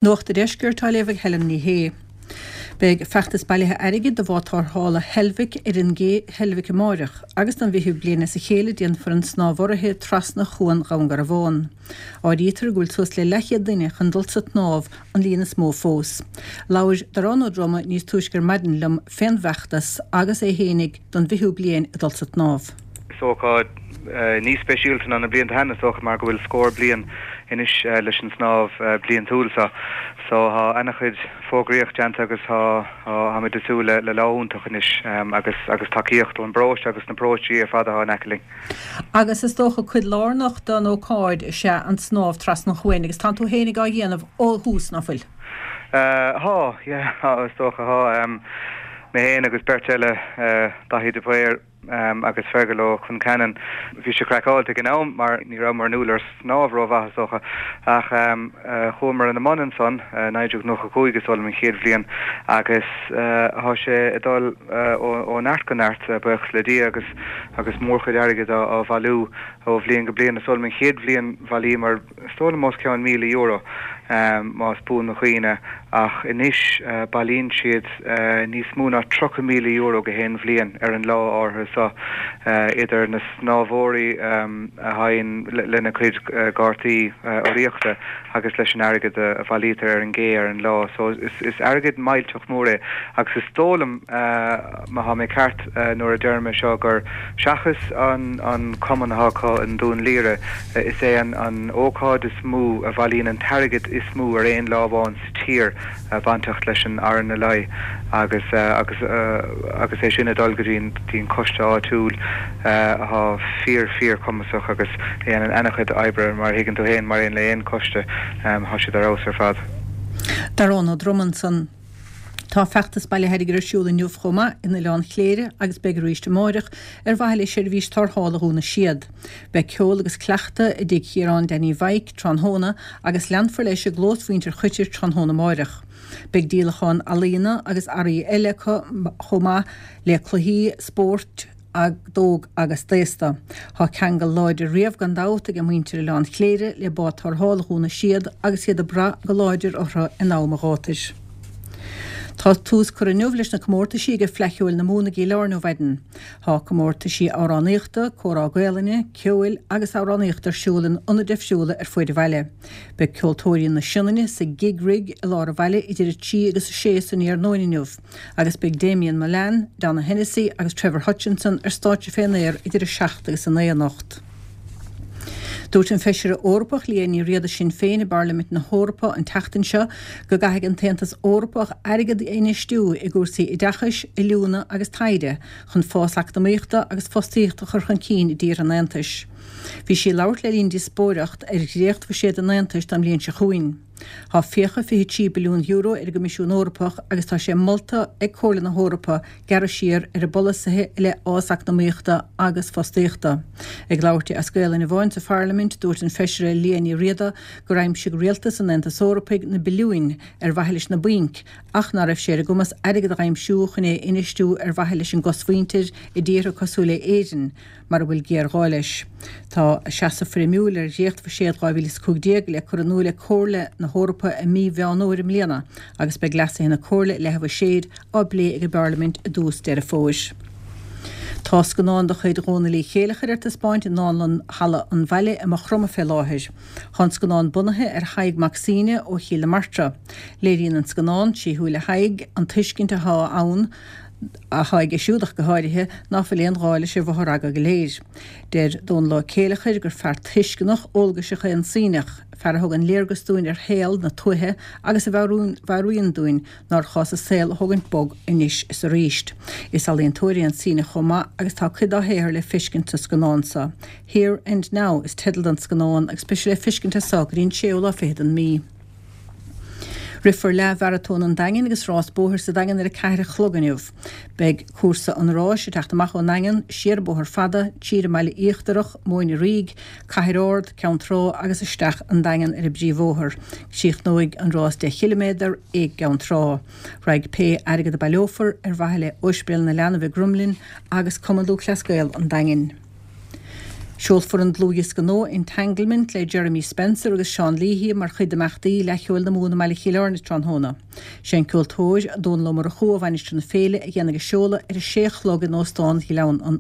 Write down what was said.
Nuacht an Deiscirt á léamh ag Helen Ní Shé. Beidh feachtas bailithe airgid do bhád tarrthála Heilbhic ar an gcé Heilbhic amáireach agus don bhfichiú bliain as a chéile déanfar an snámh urraithe trasna Chuan Dhún Garbhán. Áirítear go bhfuil suas le leathchéad duine chun dul sa tsnámh, an líon is mó fós. Labhair Darán Ó Droma níos túisce ar maidin liom fén bhfeachtas agus é fhéinig don bhfichiú bliain ag dul sa tsnámh. Is ócáid níos speisialta ná na blianta cheana is dócha mar go bhfuil scór bliain anois leis an snámh bliantúil seo. So tá ana-chuid fógraíocht déanta agus tá táimid ag súil le lá iontach anois agus agus tacaíocht ón bparóiste agus na paróistí ar fad atá in aice linn. Agus is dócha cuid lárnach den ócáid is ea an snámh trasna an chuain agus tánn tú fhéinig á dhéanamh ó thús, ná fuil? Tá, yeah, tá is dócha, tá. Mé féin agus beirt eile, Daithí de Paor, agus Fergal Ó Concheanainn. Bhí sé craiceáilte ag an am mar ní rabhamar inniúil ar snámh rómhaith is dócha ach chuamar ina mbun ansan, 1995 is dóigh liom an chéad bhliain agus thá sé ag dul ó neart go neart buíochas le Dia agus agus mórchuid airgid á bhailiú ó bhliain go bliain. Is dóigh liom an chéad bhliain bhailíomar Is dóigh liom os cionn €1,000, más buan mo chuimhne, ach anois bailíonn siad níos mó ná €30,000 gach aon bhliain ar an lá áirithe seo, idir na snámhóirí a thagann lena gcuid cártaí urraíochta agus leis an airgead a bhailítear ar an gcé ar an lá. So is airgead millteach mór é agus is dóigh liom, má thá mé ceart nuair a deirim é seo, gur seachas an cumann athá acu i nDún Laoghaire, Is é an ócáid is mó a bhailíonn an t-airgead is mó ar aon lá amháin sa tír bainteach leis an RNLI agus agus agus é sin ag dul go dtí an coiste áitiúil athá fíor fíor cumasach agus a dhéanann ana-chuid oibre mar a thuigeann tú féin mar aon le aon coiste thá siad ar fheabhas ar fad. Darán Ó Droma ansan. Tá feachtas bailithe airgid ar siúl inniu chomh maith in Oileán Chléire agus beidh arís amáireach ar mhaithe le seirbhís tarrthála Dhún na Séad. Beidh ceol agus cleachtadh i dTigh Chiaráin Danny Mhaidhc tráthnóna agus leanfar leis i gclós mhuintir Choitir tráthnóna amáireach. Beidh díolachán ealaíona agus earraí eile acu chomh maith le cluichí spóirt, d'óg agus d'aosta. Tá ceangal láidir riamh gan dabht ag muintir Oileán Chléire le bád tarrthála Dhún na Séad agus iad ag brath go láidir orthu in am an ghátair. Tá tús curtha inniu leis na comórtaisí ag Fleadh Cheoil na Mumhan i gCill Airne ó mhaidin. Tá comórtaisí amhránaíochta, comhrá Gaelainne, ceoil agus amhránaíochta ar siúl in ionaid difriúla ar fuaid an bhaile. Beidh Ceoltóirí na Sionainne sa Gig Rig i lár an bhaile idir 3 agus 6 san iarnóin inniu. Agus beidh Damien Mullane, Donogh Hennessy agus Trevor Hutchinson ar stáitse fén aer idir 7 agus 9 anocht. Dúirt an Feisire Eorpach Liadh Ní Riada Sinn Féin i bParlaimint na hEorpa an tseachtain seo go gcaithfidh an tAontas Eorpach airgead a infheistiú i gcúrsaí oideachais, oiliúna agus taighde chun fás eacnamaíochta agus fostaíocht a chur chun cinn i dtíortha an Aontais. Bhí sí ag labhairt le linn díospóireacht ar dhréachtbhuiséad an Aontais don bhliain seo chugainn. Tá fiacha €23 billiún ar an gCoimisiún Eorpach agus tá sé molta ag Comhairle na hEorpa gearradh siar ar a bpolasaithe i leith fhás eacnamaíochta agus fostaíochta. Ag labhairt di as Gaolainn amháin sa Pharlaimint, dúirt an Feisire Liadh Ní Riada gur aimsigh rialtas an Aontais Eorpaigh na billiúin ar mhaithe leis na bainc ach ná raibh sé ar a gcumas airgead a aimsiú chun é a infheistiú ar mhaithe leis an gcosmhuintir i dtíortha cosúil le Éirinn mar a bhfuil géarghá leis. Tá a seasamh foirmiúil ar dhréachtbhuiséad 2015 le cur in iúl ag Comhairle na hEorpa i mí Mheán Fhómhair i mbliana agus beidh leasuithe na Comhairle i leith an bhuiséid á bplé ag an bParlaimint i dtús Deireadh Fómhair. Tá scannán de chuid Dhónaill Uí Chéileachair ar taispeáint i nDánlann Halla an Bhaile i Maigh Chromtha fé láthair. Tá an scannán bunaithe ar Thadhg Mac Suibhne ó Chill na Martra. Léiríonn an scannán, trí shúile Thaidhg, an tuiscint atá ann, athá aige siúd ach go háirithe, ná fuil aon ghá leis an bhfothragadh go léir. Deir Dónal Ó Céileachair gur fear tuisceanach, eolgaiseach é an Suibhneach, fear a thugann léargas dúinn ar shaol na tuaithe agus a mheabhraíonn dúinn nár chás an saol a thógaint bog anois is arís. Is ealaíontóir é an Suibhneach chomh maith agus tá cuid dá shaothar le feiscint sa scannán seo. Here and Now is teideal don scannán agus beidh sé le feiscint as seo go dtí an séú lá fichead den mí. Rithfear Leath-Mharatón an Daingin agus rás bóthair sa Daingean ar 4 a chlog inniu. Beidh cúrsa an ráis ag teacht amach ón nDaingean, siar an Bóthar Fada, tríd an mBaile Íochtarach, Móin an Rígh, Cathair Ard, Ceann Trá agus isteach an Daingean ar an bpríomhbhóthar. Críochnóidh an rás 10 chiliméadar i gCeann Trá. Raghaidh pé airgead a baileofar ar mhaithe le Ospidéal na Leanbh i gCromghlinn agus Cumann Lúthchleas Gael an Daingin. Seolfar an dlúthdhiosca nua Entanglement le Jeremy Spencer agus Seán Leahy mar chuid d'imeachtaí Fhleadh Cheoil na Mumhan i mBaile Chill Airne tráthnóna. Sé an ceoltóir Dónal Ó Murchú ó Mhainistir na Féile a dhéanfaidh an seoladh ar a sé a chlog in Óstán Ghleann an.